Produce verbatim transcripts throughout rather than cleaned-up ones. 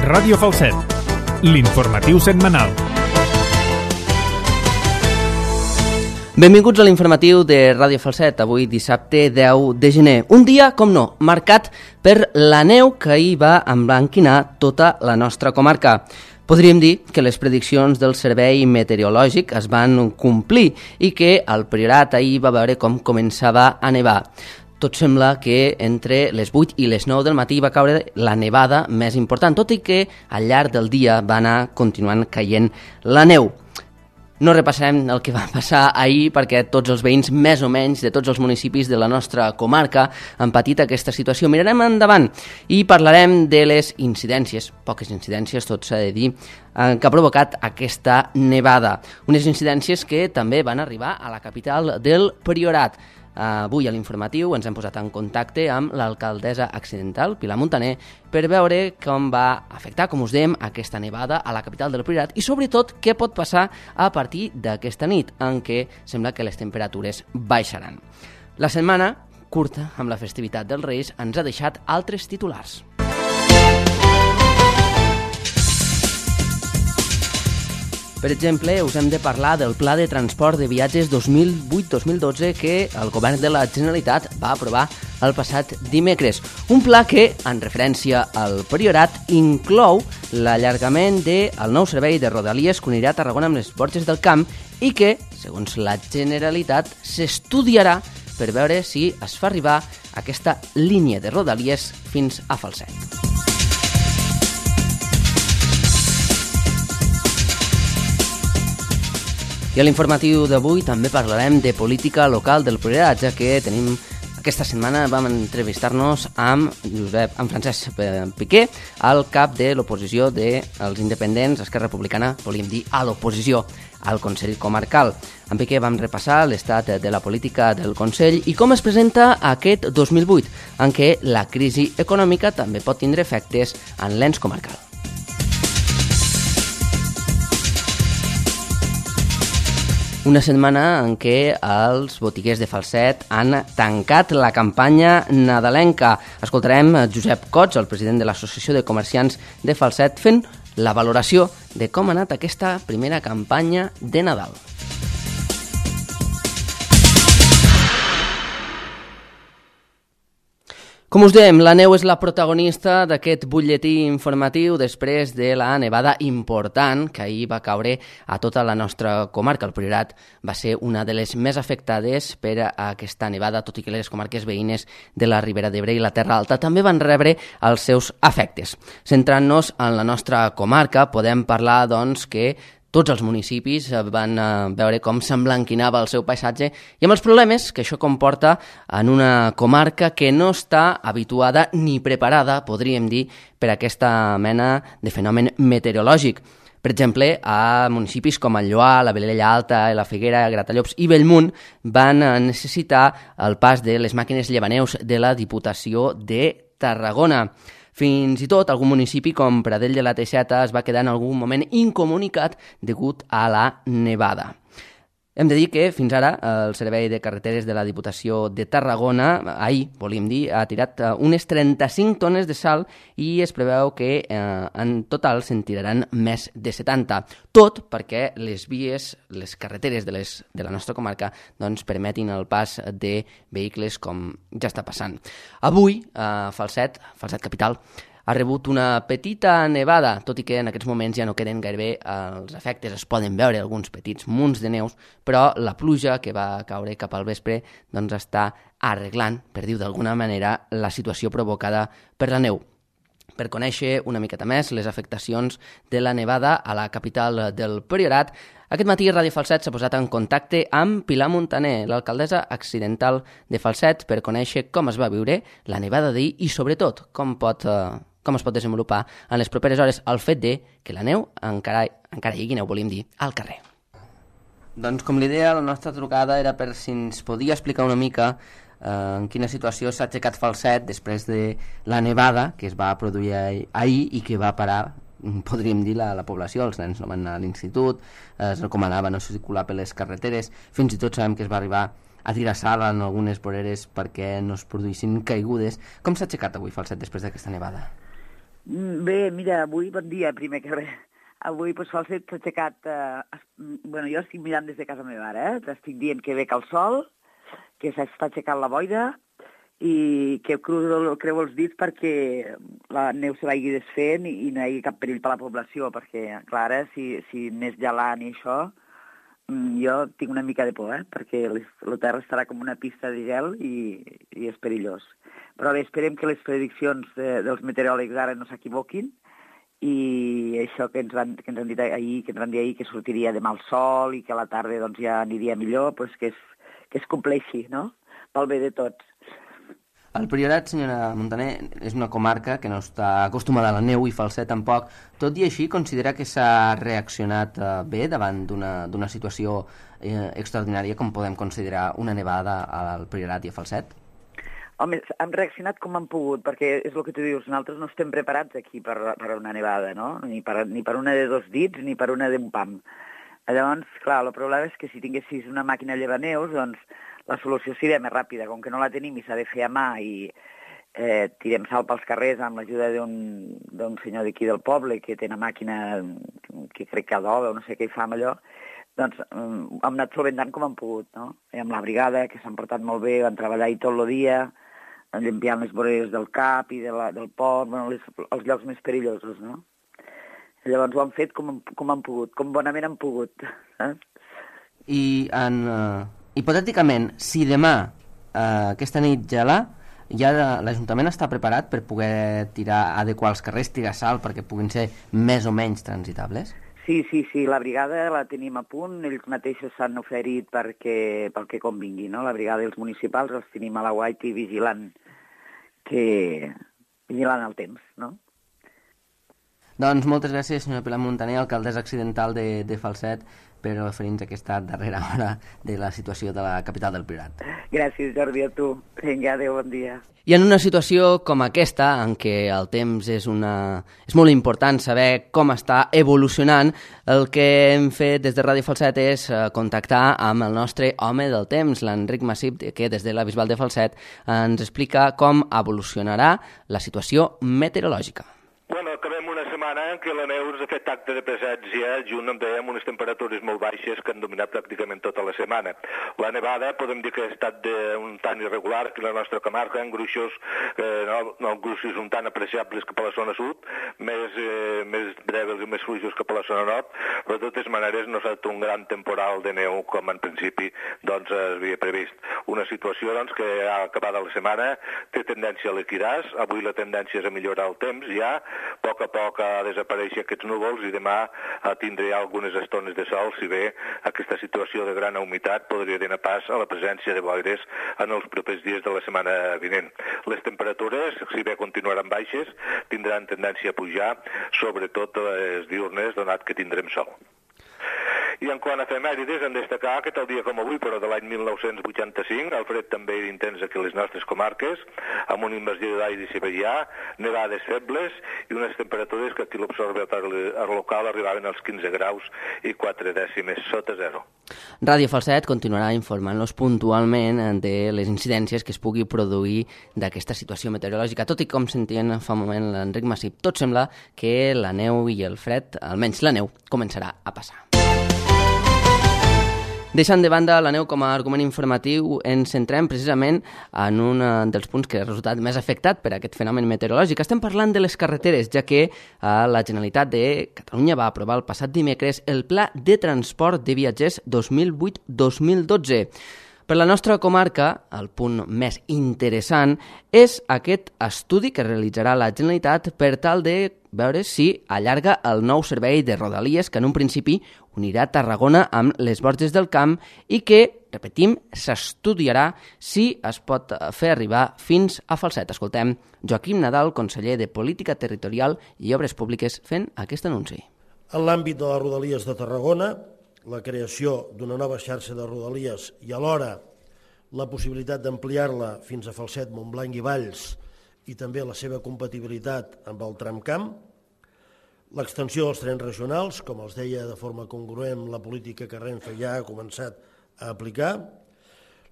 Ràdio Falset, l'informatiu setmanal. Benvinguts a l'informatiu de Ràdio Falset, avui dissabte deu de gener. Un dia, com no, marcat per la neu que ahir va emblanquinar tota la nostra comarca. Podríem dir que les prediccions del Servei Meteorològic es van complir i que el Priorat ahir va veure com començava a nevar. Tot sembla que entre les vuit i les nou del matí va caure la nevada més important, tot i que al llarg del dia va anar continuant caient la neu. No repassarem el que va passar ahir perquè tots els veïns, més o menys, de tots els municipis de la nostra comarca han patit aquesta situació. Mirarem endavant i parlarem de les incidències, poques incidències, tot s'ha de dir, que ha provocat aquesta nevada. Unes incidències que també van arribar a la capital del Priorat. Avui a l'informatiu ens hem posat en contacte amb l'alcaldessa accidental, Pilar Muntaner, per veure com va afectar, com us dèiem, aquesta nevada a la capital del Priorat i sobretot què pot passar a partir d'aquesta nit, en què sembla que les temperatures baixaran. La setmana curta, amb la festivitat dels Reis, ens ha deixat altres titulars. Per exemple, us hem de parlar del Pla de Transport de Viatges dos mil vuit dos mil dotze que el Govern de la Generalitat va aprovar el passat dimecres. Un pla que, en referència al Priorat, inclou l'allargament del nou servei de Rodalies que unirà Tarragona amb les Borges del Camp i que, segons la Generalitat, s'estudiarà per veure si es fa arribar aquesta línia de Rodalies fins a Falset. I a l'informatiu d'avui també parlarem de política local del Priorat, ja que tenim aquesta setmana vam entrevistar-nos amb Josep, amb Francesc Piqué, el cap de l'oposició dels independents, Esquerra Republicana, volíem dir a l'oposició al Consell Comarcal. Amb Piqué vam repassar l'estat de la política del Consell i com es presenta aquest dos mil vuit, en què la crisi econòmica també pot tindre efectes en l'ens comarcal. Una setmana en què els botiguers de Falset han tancat la campanya nadalenca. Escoltarem Josep Cots, el president de l'Associació de Comerciants de Falset, fent la valoració de com ha anat aquesta primera campanya de Nadal. Com us dèiem, la neu és la protagonista d'aquest butlletí informatiu després de la nevada important que ahir va caure a tota la nostra comarca. El Priorat va ser una de les més afectades per a aquesta nevada, tot i que les comarques veïnes de la Ribera d'Ebre i la Terra Alta també van rebre els seus efectes. Centrant-nos en la nostra comarca, podem parlar doncs, que tots els municipis van veure com s'emblanquinava el seu paisatge i amb els problemes que això comporta en una comarca que no està habituada ni preparada, podríem dir, per a aquesta mena de fenomen meteorològic. Per exemple, a municipis com el Lloar, la Vilella Alta, la Figuera, Gratallops i Bellmunt van necessitar el pas de les màquines llevaneus de la Diputació de Tarragona. Fins i tot algun municipi com Pradell de la Teixeta es va quedar en algun moment incomunicat degut a la nevada. Hem de dir que fins ara el Servei de Carreteres de la Diputació de Tarragona, ahir, volíem dir, ha tirat unes trenta-cinc tones de sal i es preveu que eh, en total se'n tiraran més de setanta. Tot perquè les vies, les carreteres de, les, de la nostra comarca doncs, permetin el pas de vehicles com ja està passant. Avui, a Falset, Falset Capital, ha rebut una petita nevada, tot i que en aquests moments ja no queden gairebé els efectes, es poden veure alguns petits munts de neus, però la pluja que va caure cap al vespre doncs està arreglant, per dir-ho d'alguna manera, la situació provocada per la neu. Per conèixer una miqueta més les afectacions de la nevada a la capital del Priorat, aquest matí Ràdio Falset s'ha posat en contacte amb Pilar Muntaner, l'alcaldessa accidental de Falset, per conèixer com es va viure la nevada d'ahir i, sobretot, com pot... Eh, com es pot desenvolupar en les properes hores el fet de que la neu encara, encara hi hagi neu, volíem dir, al carrer. Doncs com li deia, la nostra trucada era per si ens podia explicar una mica eh, en quina situació s'ha aixecat Falset després de la nevada que es va produir ahir i que va parar, podríem dir, la, la població. Els nens no van anar a l'institut, eh, es recomanava no circular per les carreteres, fins i tot sabem que es va arribar a tirar sal en algunes voreres perquè no es produïssin caigudes. Com s'ha aixecat avui Falset després d'aquesta nevada? Bé, mira, avui, bon dia, primer que res. Avui, doncs, Falset s'ha aixecat... Eh, bueno, jo estic mirant des de casa meva ara, eh? T'estic dient que ve que el sol, que s'està aixecant la boira i que creu, creu els dits perquè la neu se vagi desfent i, i no hi hagi cap perill per la població, perquè, clar, ara, si, si anés gelant i això, jo tinc una mica de por, eh? Perquè la terra estarà com una pista de gel i, i és perillós. Però bé, esperem que les prediccions de, dels meteoròlegs ara no s'equivoquin i això que ens, van, que ens han dit ahir, que ens van dir ahir que sortiria demà el sol i que a la tarda doncs, ja aniria millor, doncs que, es, que es compleixi, no? Pel bé de tots. El Priorat, senyora Montaner, és una comarca que no està acostumada a la neu i Falset tampoc. Tot i així, considera que s'ha reaccionat eh, bé davant d'una situació eh, extraordinària com podem considerar una nevada al Priorat i a Falset? Home, hem reaccionat com hem pogut, perquè és el que tu dius, nosaltres no estem preparats aquí per, per una nevada, no? Ni per, ni per una de dos dits ni per una d'un pam. Llavors, clar, el problema és que si tinguessis una màquina llevaneus, doncs la solució seria més ràpida. Com que no la tenim i s'ha de fer a mà i eh, tirem sal pels carrers amb l'ajuda d'un senyor d'aquí del poble que té una màquina que crec que adoba o no sé què hi fa amb allò, doncs hem anat solventant com hem pogut, no? I amb la brigada, que s'han portat molt bé, van treballar-hi tot el dia, limpiant les voreres del cap i de la, del port, bueno, les, els llocs més perillosos, no? I llavors ho han fet com, com han pogut, com bonament han pogut. Eh? I en, uh, hipotèticament, si demà uh, aquesta nit gelà, ja l'Ajuntament està preparat per poder tirar, adequar els carrers, tirar sal perquè puguin ser més o menys transitables? Sí, sí, sí, la brigada la tenim a punt, ells mateixos s'han oferit perquè, pel que convingui, no? La brigada dels municipals els tenim a la Guaiti vigilant, que, vigilant el temps, no? Doncs moltes gràcies, senyora Pilar Montaner, alcaldessa accidental de, de Falset, per oferir-nos aquesta darrera hora de la situació de la capital del Priorat. Gràcies, Jordi, a tu. Vinga, adéu, bon dia. I en una situació com aquesta, en què el temps és, una... és molt important saber com està evolucionant, el que hem fet des de Ràdio Falset és contactar amb el nostre home del temps, l'Enric Massip, que des de la Bisbal de Falset ens explica com evolucionarà la situació meteorològica. Bueno, acabem una setmana en què la neu ens ha fet acte de presència, junt amb, dèiem, unes temperatures molt baixes que han dominat pràcticament tota la setmana. La nevada podem dir que ha estat de, un tant irregular que la nostra comarca, en gruixos, eh, no, no gruixos un tant apreciables que per la zona sud, més, eh, més breves i més fluixos que per la zona nord, però de totes maneres no s'ha estat un gran temporal de neu com en principi doncs, es havia previst. Una situació doncs, que ha acabat la setmana té tendència a liquidar-se, avui la tendència és a millorar el temps ja, a poc a poc a desaparèixer aquests núvols i demà tindré algunes estones de sol, si bé aquesta situació de gran humitat podria donar pas a la presència de boires en els propers dies de la setmana vinent. Les temperatures, si bé continuaran baixes, tindran tendència a pujar, sobretot les diurnes, donat que tindrem sol. I en quant a efemèrides, hem de destacar que tal dia com avui, però de l'any mil nou-cents vuitanta-cinc, el fred també era intens aquí a les nostres comarques, amb una invasió d'aire siberià, nevades febles i unes temperatures que aquí l'observatori local arribaven als quinze graus i quatre dècimes sota zero. Ràdio Falset continuarà informant-los puntualment de les incidències que es pugui produir d'aquesta situació meteorològica, tot i com sentien fa un moment l'Enric Massip. Tot sembla que la neu i el fred, almenys la neu, començarà a passar. Deixant de banda la neu com a argument informatiu, ens centrem precisament en un dels punts que ha resultat més afectat per aquest fenomen meteorològic. Estem parlant de les carreteres, ja que la Generalitat de Catalunya va aprovar el passat dimecres el Pla de Transport de Viatgers dos mil vuit dos mil dotze. Per la nostra comarca, el punt més interessant és aquest estudi que realitzarà la Generalitat per tal de veure si allarga el nou servei de Rodalies que en un principi unirà Tarragona amb les Borges del Camp i que, repetim, s'estudiarà si es pot fer arribar fins a Falset. Escoltem Joaquim Nadal, conseller de Política Territorial i Obres Públiques, fent aquest anunci. En l'àmbit de les Rodalies de Tarragona, la creació d'una nova xarxa de Rodalies i alhora la possibilitat d'ampliar-la fins a Falset, Montblanc i Valls i també la seva compatibilitat amb el tramcamp, l'extensió dels trens regionals, com els deia de forma congruent la política que Renfe ja ha començat a aplicar,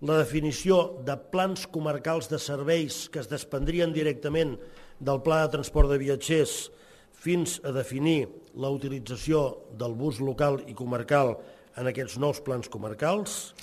la definició de plans comarcals de serveis que es desprendrien directament del Pla de Transport de Viatgers fins a definir la utilització del bus local i comarcal en aquests nous plans comarcals.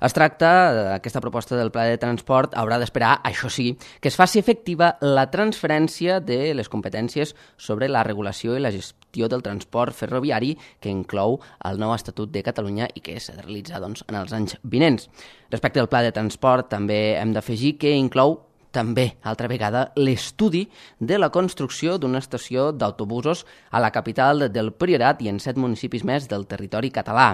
Es tracta, aquesta proposta del Pla de Transport haurà d'esperar, això sí, que es faci efectiva la transferència de les competències sobre la regulació i la gestió del transport ferroviari que inclou el nou Estatut de Catalunya i que s'ha de realitzar doncs, en els anys vinents. Respecte al Pla de Transport, també hem d'afegir que inclou també, altra vegada, l'estudi de la construcció d'una estació d'autobusos a la capital del Priorat i en set municipis més del territori català.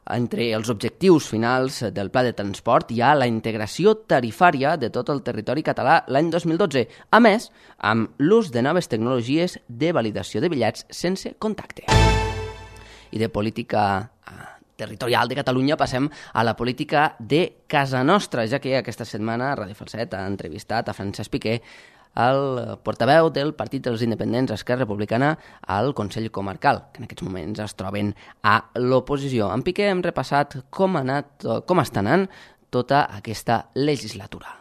Entre els objectius finals del Pla de Transport hi ha la integració tarifària de tot el territori català l'any dos mil dotze, a més, amb l'ús de noves tecnologies de validació de bitllets sense contacte. I de política territorial de Catalunya passem a la política de casa nostra, ja que aquesta setmana Ràdio Falset ha entrevistat a Francesc Piqué, el portaveu del Partit dels Independents Esquerra Republicana al Consell Comarcal, que en aquests moments es troben a l'oposició. En Piqué hem repassat com ha anat, com està anant tota aquesta legislatura.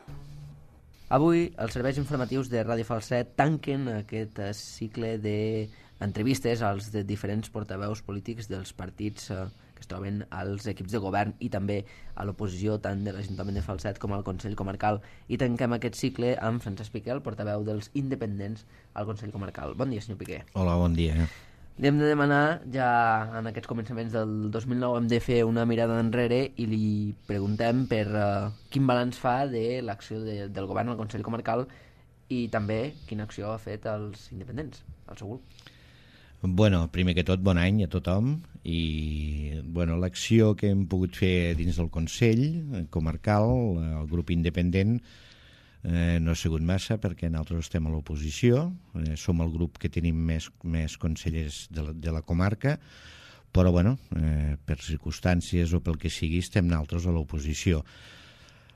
Avui els serveis informatius de Ràdio Falset tanquen aquest cicle d'entrevistes als de diferents portaveus polítics dels partits que es troben als equips de govern i també a l'oposició tant de l'Ajuntament de Falset com al Consell Comarcal. I tanquem aquest cicle amb Francesc Piqué, el portaveu dels independents al Consell Comarcal. Bon dia, senyor Piqué. Hola, bon dia. Li hem de demanar, ja en aquests començaments del dos mil nou hem de fer una mirada enrere i li preguntem per uh, quin balanç fa de l'acció de, del govern al Consell Comarcal i també quina acció ha fet els independents, el seu grup. Bueno, primer que tot, bon any a tothom i bueno, l'acció que hem pogut fer dins del Consell Comarcal, el grup independent, eh, no ha sigut massa perquè nosaltres estem a l'oposició, eh, som el grup que tenim més, més consellers de la, de la comarca, però bueno, eh, per circumstàncies o pel que sigui estem nosaltres a l'oposició.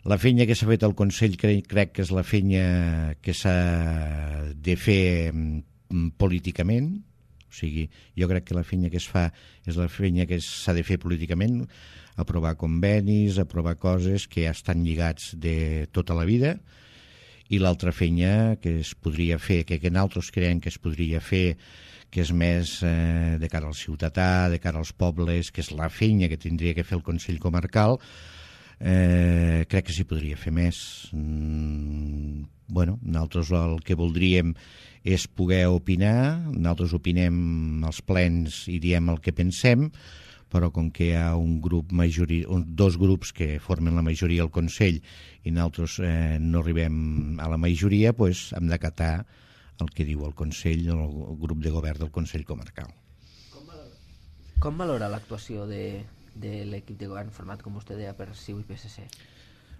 La feina que s'ha fet al Consell crec, crec que és la feina que s'ha de fer mm, políticament. O sigui, jo crec que la feina que es fa és la feina que s'ha de fer políticament, aprovar convenis, aprovar coses que ja estan lligats de tota la vida, i l'altra feina que es podria fer, que, que nosaltres creiem que es podria fer, que és més eh, de cara al ciutadà, de cara als pobles, que és la feina que tindria que fer el Consell Comarcal, eh, crec que s'hi podria fer més. Mm, bueno, nosaltres el que voldríem és poder opinar, nosaltres opinem als plens i diem el que pensem, però com que hi ha un grup majori, un, dos grups que formen la majoria al Consell i nosaltres eh, no arribem a la majoria, doncs hem d'acatar el que diu el Consell, el grup de govern del Consell Comarcal. Com valora, com valora l'actuació de, de l'equip de govern format, com vostè deia, per C I U i P S C?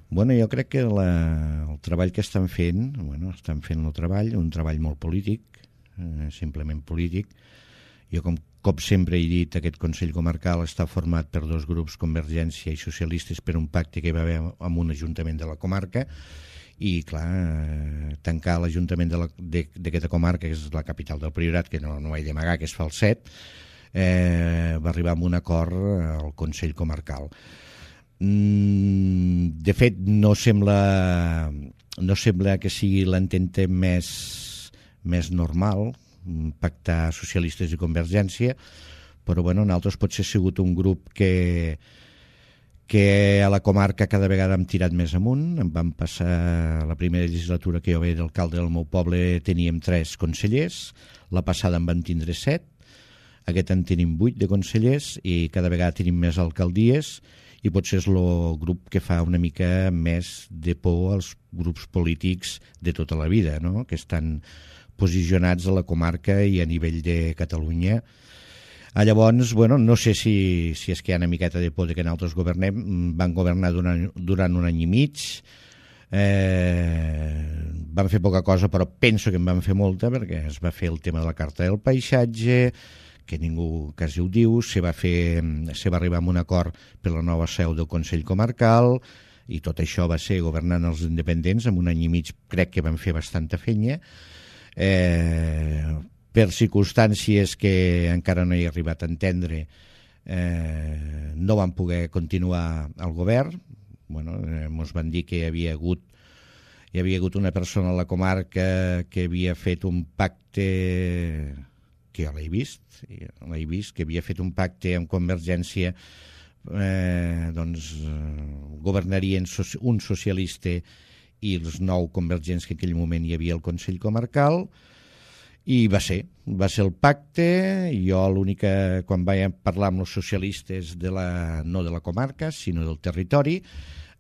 Bueno, jo crec que la, el treball que estan fent, bueno, estan fent el treball, un treball molt polític, eh, simplement polític. Jo, com, com sempre he dit, aquest Consell Comarcal està format per dos grups, Convergència i Socialistes, per un pacte que hi va haver amb un ajuntament de la comarca, i, clar, eh, tancar l'Ajuntament d'aquesta comarca, que és la capital del Priorat, que no, no ho he d'amagar, que és Falset, eh, va arribar a un acord al Consell Comarcal. De fet, no sembla, no sembla que sigui l'entente més, més normal pactar socialistes i Convergència, però bueno, nosaltres potser ha sigut un grup que, que a la comarca cada vegada hem tirat més amunt. Em van passar la primera legislatura que jo veia d'alcalde del meu poble, teníem tres consellers, la passada en van tindre set, aquest en tenim vuit de consellers i cada vegada tenim més alcaldies, i potser és el grup que fa una mica més de por als grups polítics de tota la vida, no? Que estan posicionats a la comarca i a nivell de Catalunya. Ah, llavors, bueno, no sé si, si és que hi ha una miqueta de por de que nosaltres governem. Van governar durant, durant un any i mig, eh, van fer poca cosa, però penso que en van fer molta, perquè es va fer el tema de la Carta del Paisatge, que ningú quasi ho diu, se va, fer, se va arribar a un acord per la nova seu del Consell Comarcal, i tot això va ser governant els independents. En un any i mig crec que van fer bastanta feina. Eh, per circumstàncies que encara no he arribat a entendre, eh, no van poder continuar al govern, bueno, eh, ens van dir que hi havia hagut hi havia hagut una persona a la comarca que havia fet un pacte, que jo l'he vist, l'he vist, que havia fet un pacte amb Convergència, eh, doncs eh, governarien un socialista i els nou convergents que en aquell moment hi havia al Consell Comarcal, i va ser, va ser el pacte. Jo l'única, quan vaig parlar amb els socialistes de la, no de la comarca, sinó del territori,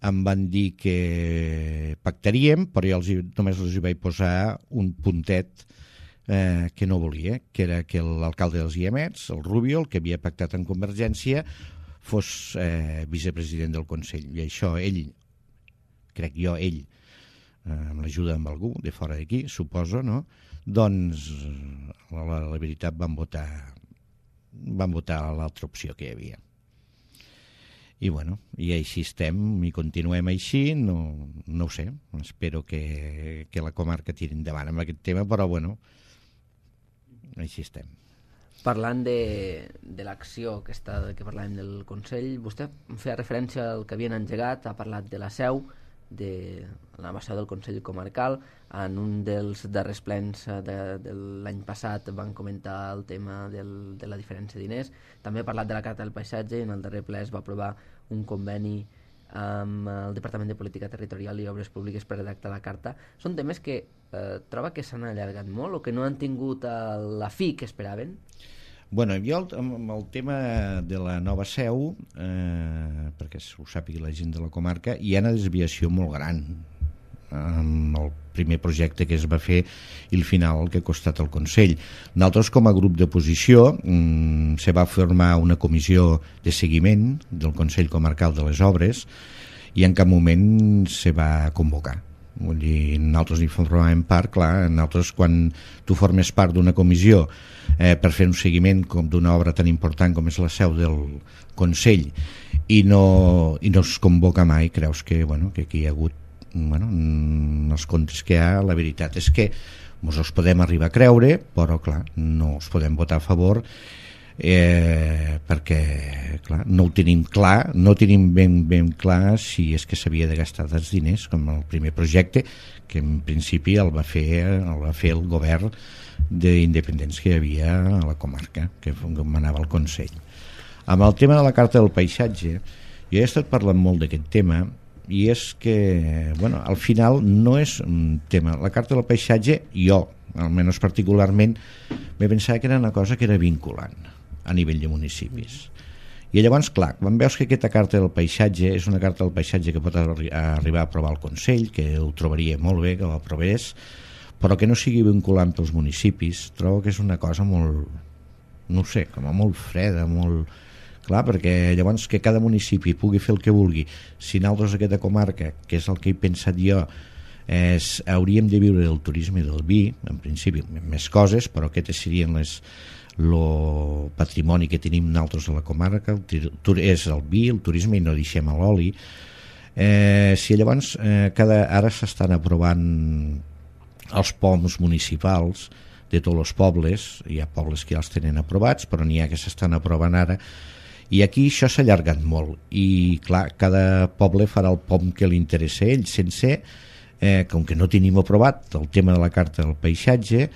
em van dir que pactaríem, però jo els, només els hi vaig posar un puntet eh, que no volia, que era que l'alcalde dels Guiamets, el Rubio, el que havia pactat amb Convergència, fos eh, vicepresident del Consell. I això ell, crec jo, ell, eh, amb l'ajuda amb algú de fora d'aquí, suposo, no? Doncs la, la, la veritat van votar van votar l'altra opció que hi havia. I bueno, i així estem, i continuem així, no, no ho sé, espero que, que la comarca tiri endavant amb aquest tema, però bueno, així estem. Parlant de, de l'acció que, està, que parlàvem del Consell, vostè feia referència al que havien engegat, ha parlat de la seu, de la nova seu del Consell Comarcal. En un dels darrers plens de, de l'any passat van comentar el tema del, de la diferència de diners. També ha parlat de la Carta del Paisatge, i en el darrer ple es va aprovar un conveni amb el Departament de Política Territorial i Obres Públiques per redactar la carta. Són temes que eh, troba que s'han allargat molt o que no han tingut la fi que esperaven? Bueno, jo amb el tema de la nova seu, eh, perquè ho sàpiga la gent de la comarca, hi ha una desviació molt gran amb el primer projecte que es va fer i el final el que ha costat el Consell. Nosaltres, com a grup d'oposició, mm, se va formar una comissió de seguiment del Consell Comarcal de les Obres i en cap moment se va convocar. Vull dir, nosaltres hi formàvem part, clar, nosaltres quan tu formes part d'una comissió eh, per fer un seguiment com d'una obra tan important com és la seu del Consell i no, i no es convoca mai, creus que, bueno, que aquí hi ha hagut, bueno, els comptes que hi ha, la veritat és que ens els podem arribar a creure, però clar, no els podem votar a favor eh, perquè clar, no ho tenim clar, no tenim ben, ben clar si és que s'havia de gastar els diners com el primer projecte, que en principi el va fer el, va fer el govern d'independents que hi havia a la comarca, que manava el Consell. Amb el tema de la Carta del Paisatge, jo he estat parlant molt d'aquest tema, i és que, bueno, al final no és un tema. La Carta del Paisatge, jo, almenys particularment, m'he pensat que era una cosa que era vinculant a nivell de municipis. I llavors, clar, quan veus que aquesta Carta del Paisatge és una Carta del Paisatge que pot arri- arribar a aprovar el Consell, que ho trobaria molt bé que l'aprovés, però que no sigui vinculant pels municipis, trobo que és una cosa molt, no ho sé, com a molt freda, molt... Clar, perquè llavors que cada municipi pugui fer el que vulgui. Si nosaltres aquesta comarca, que és el que he pensat jo, és, hauríem de viure del turisme i del vi, en principi més coses, però aquestes serien les el patrimoni que tenim nosaltres a la comarca, el, és el vi, el turisme, i no deixem l'oli. Eh, si llavors eh, cada, ara s'estan aprovant els P O Ms municipals de tots els pobles, hi ha pobles que ja els tenen aprovats, però n'hi ha que s'estan aprovant ara, i aquí això s'ha allargat molt i clar, cada poble farà el P O M que li interessa a ell, sense eh, com que no tenim aprovat el tema de la Carta del Paisatge,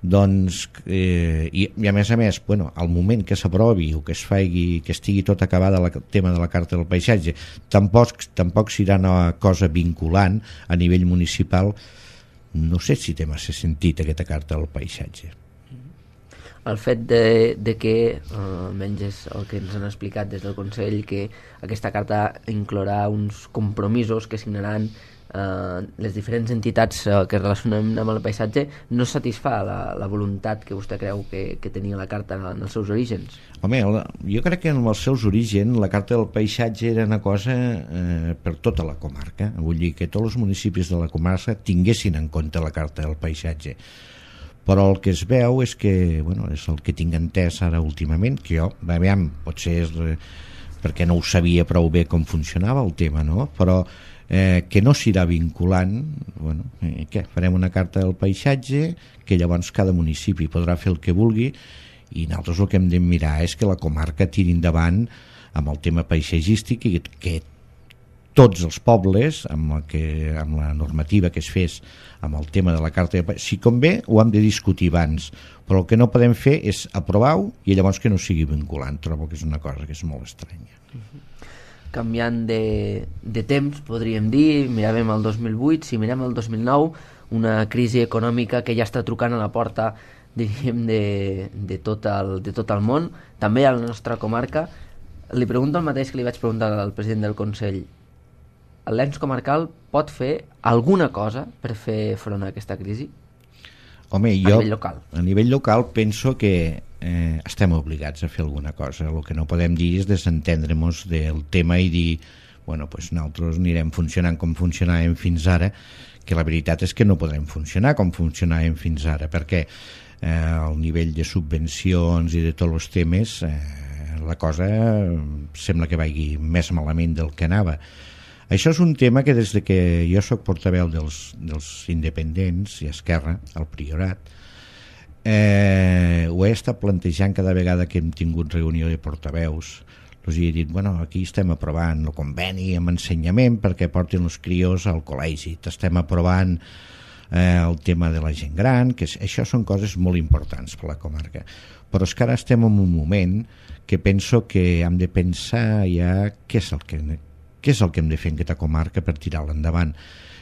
doncs eh, i, i a més a més, bueno, al moment que s'aprovi o que es faci, que estigui tot acabada el tema de la Carta del Paisatge, tampoc, tampoc serà una cosa vinculant a nivell municipal. No sé si té massa sentit aquesta Carta del Paisatge. El fet de, de que, eh, almenys és el que ens han explicat des del Consell, que aquesta carta inclourà uns compromisos que signaran eh, les diferents entitats eh, que es relacionen amb el paisatge, no satisfà la, la voluntat que vostè creu que, que tenia la carta en els seus orígens? Home, jo crec que en els seus orígens la Carta del Paisatge era una cosa eh, per tota la comarca. Vull dir que tots els municipis de la comarca tinguessin en compte la Carta del Paisatge. Però el que es veu és que, bueno, és el que tinc entès ara últimament, que jo, aviam, potser és perquè no ho sabia prou bé com funcionava el tema, no? Però eh, que no serà vinculant, bueno, eh, què? Farem una Carta del Paisatge, que llavors cada municipi podrà fer el que vulgui, i nosaltres el que hem de mirar és que la comarca tiri endavant amb el tema paisatgístic i que tots els pobles, amb la, que, amb la normativa que es fes amb el tema de la carta de... Si convé, ho hem de discutir abans, però el que no podem fer és aprovar-ho i llavors que no sigui vinculant. Trobo que és una cosa que és molt estranya. Canviant de, de temps, podríem dir, miràvem el dos mil vuit, si mirem el dos mil nou, una crisi econòmica que ja està trucant a la porta, diríem, de, de, tot el, de tot el món, també a la nostra comarca. Li pregunto el mateix que li vaig preguntar al president del Consell. L'ens comarcal pot fer alguna cosa per fer front a aquesta crisi? Home, jo, a nivell local. A nivell local penso que eh, estem obligats a fer alguna cosa. El que no podem dir és desentendre-nos del tema i dir, bueno, pues nosaltres anirem funcionant com funcionàvem fins ara, que la veritat és que no podrem funcionar com funcionàvem fins ara, perquè eh, el nivell de subvencions i de tots els temes, eh, la cosa sembla que vagi més malament del que anava. Això és un tema que des de que jo soc portaveu dels, dels independents i Esquerra, al Priorat, eh, ho he estat plantejant cada vegada que hem tingut reunió de portaveus. Els he dit, bueno, aquí estem aprovant el conveni amb ensenyament perquè portin els crios al col·legi, estem aprovant eh, el tema de la gent gran, que és, això són coses molt importants per la comarca. Però és que ara estem en un moment que penso que hem de pensar ja què és el que... què és el que hem de fer en aquesta comarca per tirar-la endavant.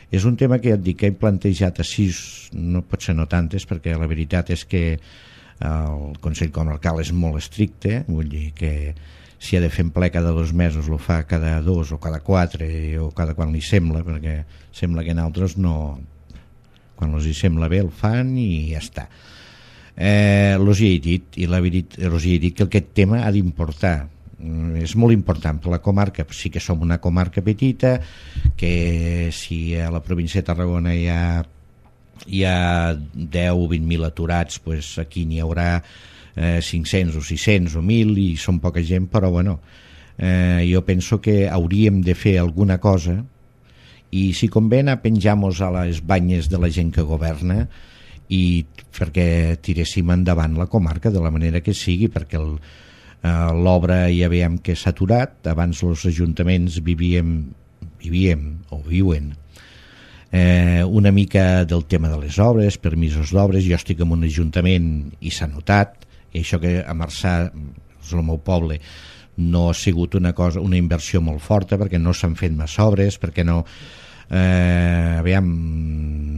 És un tema que ja et dic que he plantejat a sis, no pot ser no tantes, perquè la veritat és que el Consell Comarcal és molt estricte, vull dir que si ha de fer en ple cada dos mesos lo fa cada dos o cada quatre o cada quan li sembla, perquè sembla que en altres no, quan els hi sembla bé el fan i ja està. Eh, els hi he dit, i la veritat, els hi he dit que aquest tema ha d'importar. És molt important per la comarca, sí que som una comarca petita, que si a la província de Tarragona hi ha, hi ha deu o vint mil aturats, pues aquí n'hi haurà eh, cinc-cents o sis-cents o mil i són poca gent, però bueno, eh, jo penso que hauríem de fer alguna cosa i si convé anar penjar-nos a les banyes de la gent que governa i perquè tiréssim endavant la comarca de la manera que sigui, perquè el Uh, l'obra ja veiem que s'ha aturat. Abans els ajuntaments vivíem, vivíem o viuen eh, una mica del tema de les obres, permisos d'obres. Jo estic en un ajuntament i s'ha notat, i això que a Marçà, és el meu poble, no ha sigut una cosa, una inversió molt forta perquè no s'han fet més obres, perquè no eh, aviam,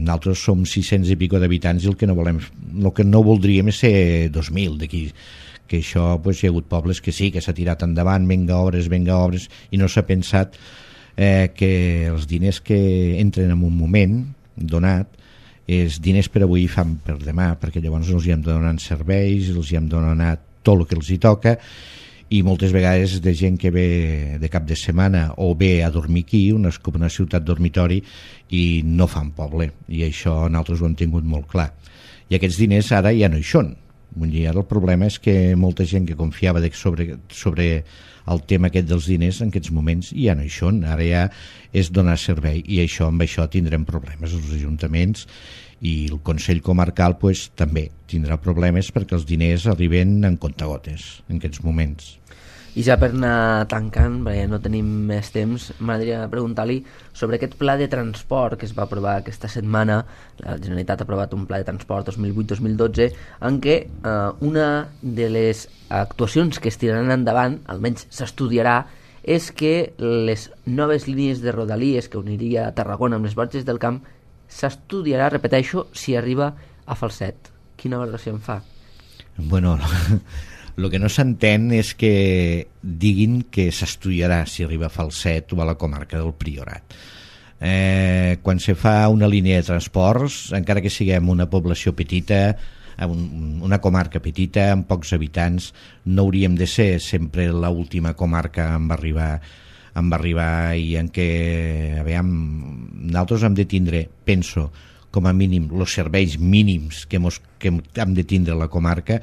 nosaltres som sis-cents i pico d'habitants i el que no volem, el que no voldríem és ser dos mil d'aquí, que això pues, hi ha hagut pobles que sí, que s'ha tirat endavant, venga obres, venga obres, i no s'ha pensat eh, que els diners que entren en un moment donat és diners per avui i fan per demà, perquè llavors els hi hem donat serveis, els hi hem donat tot el que els hi toca, i moltes vegades de gent que ve de cap de setmana o ve a dormir aquí, una, una ciutat dormitori, i no fan poble, i això nosaltres ho hem tingut molt clar. I aquests diners ara ja no hi són. Vull dir, ara el problema és que molta gent que confiava de sobre, sobre el tema aquest dels diners en aquests moments ja no hi són, ara ja és donar servei i això amb això tindrem problemes els ajuntaments i el Consell Comarcal pues, també tindrà problemes perquè els diners arriben en comptagotes en aquests moments. I ja per anar tancant, perquè no tenim més temps, m'agradaria preguntar-li sobre aquest pla de transport que es va aprovar aquesta setmana. La Generalitat ha aprovat un pla de transport dos mil vuit dos mil dotze en què eh, una de les actuacions que es tiraran endavant, almenys s'estudiarà, és que les noves línies de rodalies que uniria Tarragona amb les Borges del Camp s'estudiarà, repeteixo, si arriba a Falset. Quina valoració en fa? Bueno... El que no s'entén és que diguin que s'estudiarà si arriba a Falset o a la comarca del Priorat. Eh, quan se fa una línia de transports, encara que siguem una població petita, una comarca petita, amb pocs habitants, no hauríem de ser sempre l'última comarca en arribar, en arribar i en què, aviam, nosaltres hem de tindre, penso, com a mínim, els serveis mínims que, mos, que hem de tindre a la comarca.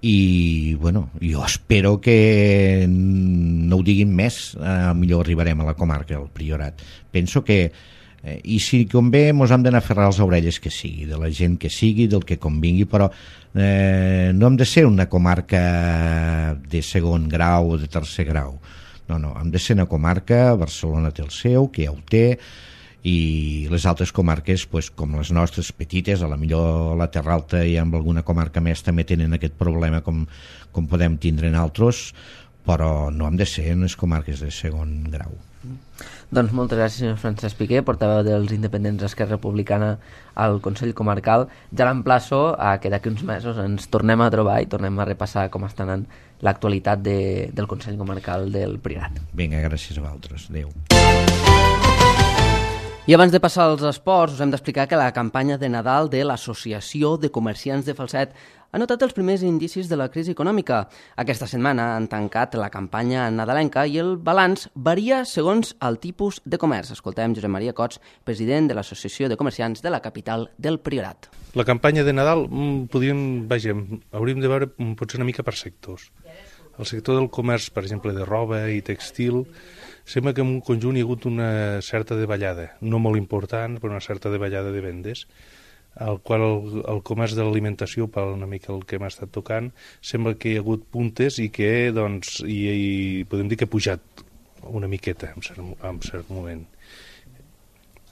I bueno, jo espero que no ho diguin més, eh, millor arribarem a la comarca del Priorat. Penso que eh, i si convé mos hem d'anar a ferrar les orelles que sigui, de la gent que sigui, del que convingui, però eh, no hem de ser una comarca de segon grau o de tercer grau. No, no, hem de ser una comarca, Barcelona té el seu, que ja ho té, i les altres comarques, pues, com les nostres petites, a la millor la Terra Alta i amb alguna comarca més també tenen aquest problema com, com podem tindre en altres, però no hem de ser en les comarques de segon grau. Doncs moltes gràcies, senyor Francesc Piqué, portaveu dels independents d'Esquerra Republicana al Consell Comarcal. Ja l'emplaço a que d'aquí uns mesos ens tornem a trobar i tornem a repassar com està anant l'actualitat de, del Consell Comarcal del Priorat. Vinga, gràcies a vosaltres. Adéu. I abans de passar als esports, us hem d'explicar que la campanya de Nadal de l'Associació de Comerciants de Falset ha notat els primers indicis de la crisi econòmica. Aquesta setmana han tancat la campanya nadalenca i el balanç varia segons el tipus de comerç. Escoltem Josep Maria Cots, president de l'Associació de Comerciants de la capital del Priorat. La campanya de Nadal, podríem, vaja, hauríem de veure potser una mica per sectors. El sector del comerç, per exemple, de roba i textil, sembla que en un conjunt hi ha hagut una certa davallada, no molt important, però una certa davallada de vendes, al qual el, el comerç de l'alimentació, per una mica el que hem estat tocant, sembla que hi ha hagut puntes i que, doncs, i, i podem dir que ha pujat una miqueta en cert, en cert moment.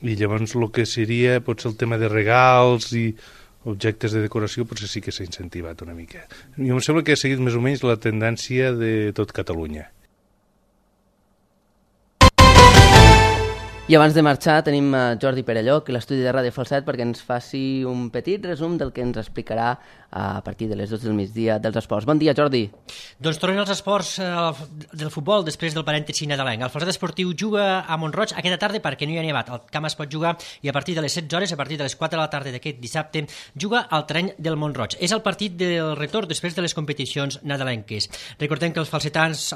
I llavors el que seria potser el tema de regals i objectes de decoració potser sí que s'ha incentivat una mica. I em sembla que ha seguit més o menys la tendència de tot Catalunya. I abans de marxar tenim Jordi Perelló, que l'estudi de Ràdio Falset, perquè ens faci un petit resum del que ens explicarà a partir de les dues del migdia dels esports. Bon dia, Jordi. Doncs tornem als esports eh, del futbol després del parèntesi nadalenc. El Falset Esportiu juga a Mont-roig aquesta tarda perquè no hi ha nevat. El camp es pot jugar i a partir de les setze hores, a partir de les quatre de la tarda d'aquest dissabte, juga al terreny del Mont-roig. És el partit del retorn després de les competicions nadalenques. Recordem que els falsetans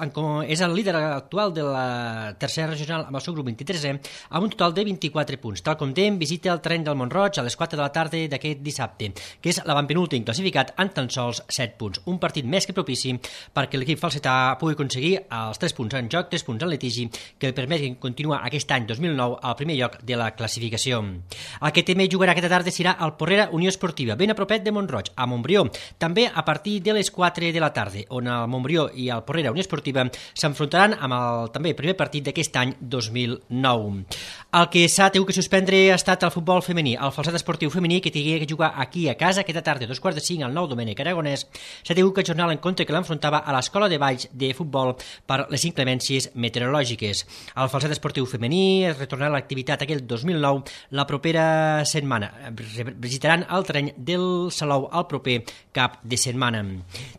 és el líder actual de la tercera regional amb el seu grup vint-i-tresè, amb un total de vint-i-quatre punts. Tal com dèiem, visita el terreny del Mont-roig a les quatre de la tarda d'aquest dissabte, que és l'avantpenúltim classificat amb tan sols set punts. Un partit més que propici perquè l'equip falsetà pugui aconseguir els tres punts en joc, tres punts en litigi, que li permetin continuar aquest any dos mil nou al primer lloc de la classificació. El que també jugarà aquesta tarda serà el Porrera Unió Esportiva, ben a propet de Mont-roig, a Montbrió, també a partir de les quatre de la tarda, on el Montbrió i el Porrera Unió Esportiva s'enfrontaran amb el també primer partit d'aquest any dos mil nou. El que s'ha tingut que suspendre ha estat el futbol femení. El Falset Esportiu femení, que tenia que jugar aquí a casa aquesta tarda, a dos quarts de cinc, al nou Domènec Aragonès, s'ha tingut que ajornar l'encontre que l'enfrontava a l'Escola de Valls de Futbol per les inclemències meteorològiques. El Falset Esportiu femení es retornarà a l'activitat aquell dos mil nou la propera setmana. Visitaran el terreny del Salou el proper cap de setmana.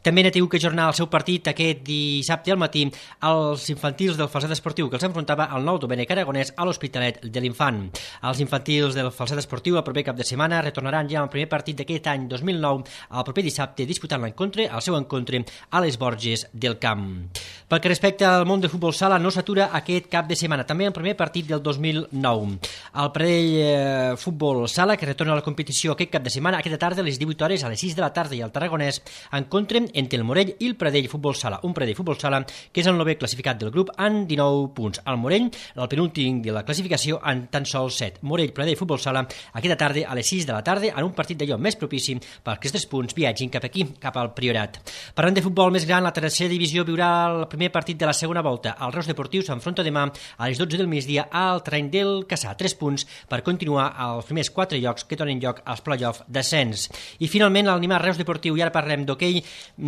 També n'ha tingut que ajornar el seu partit aquest dissabte al matí als infantils del Falset Esportiu, que els enfrontava al nou Domènec Aragonès a l'Hospitalet de l'Infant. Els infantils del Falset Esportiu el proper cap de setmana retornaran ja al primer partit d'aquest any dos mil nou el proper dissabte disputant l'encontre, el seu encontre a les Borges del Camp. Pel que respecta al món del futbol sala no s'atura aquest cap de setmana, també el primer partit del dos mil nou. El Pradell eh, Futbol Sala, que retorna a la competició aquest cap de setmana, aquesta tarda a les divuit hores, a les sis de la tarda i al Tarragonès, encontren entre el Morell i el Pradell Futbol Sala. Un Pradell Futbol Sala que és el novè classificat del grup amb dinou punts. El Morell, el penúltim de la classificació, en tan sols set. Morell Pradell Futbol Sala aquesta tarda a les sis de la tarda en un partit d'allò més propici perquè aquests punts viatgin cap aquí, cap al Priorat. Parlant de futbol més gran, la tercera divisió viurà el primer partit de la segona volta. El Reus Deportiu s'enfronta demà a les dotze del migdia al terreny del Cassà. Tres punts per continuar als primers quatre llocs que donen lloc als play-off d'ascens. I finalment l'Animar Reus Deportiu, i ara parlem d'hoquei,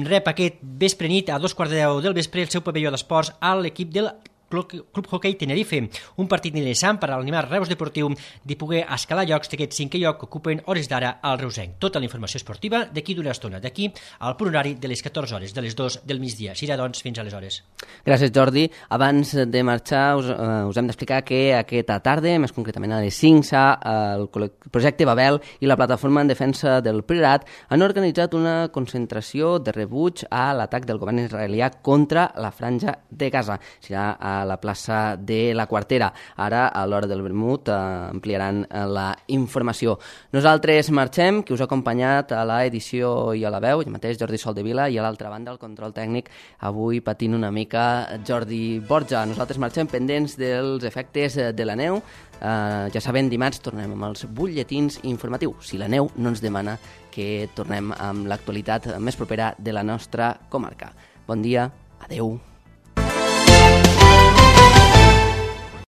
rep aquest vespre nit a dos quarts de deu del vespre el seu pavelló d'esports a l'equip del Club Hockey Tenerife, un partit interessant per a l'Animar Reus Deportiu de poder escalar llocs d'aquest cinquè lloc que ocupen hores d'ara al Reusenc. Tota la informació esportiva d'aquí d'una estona, d'aquí al punt horari de les catorze hores, de les dues del migdia. Serà, doncs, fins aleshores. Gràcies, Jordi. Abans de marxar us, uh, us hem d'explicar que aquesta tarda, més concretament a les cinc, el projecte Babel i la plataforma en defensa del Priorat han organitzat una concentració de rebuig a l'atac del govern israelià contra la franja de Gaza. Serà a la plaça de la Quartera. Ara, a l'hora del vermut, eh, ampliaran la informació. Nosaltres marxem, que us ha acompanyat a l'edició i a la veu, jo mateix, Jordi Soldevila, i a l'altra banda, el control tècnic, avui patint una mica Jordi Borja. Nosaltres marxem pendents dels efectes de la neu. Eh, ja sabem, dimarts tornem amb els butlletins informatius, si la neu no ens demana que tornem amb l'actualitat més propera de la nostra comarca. Bon dia, adeu.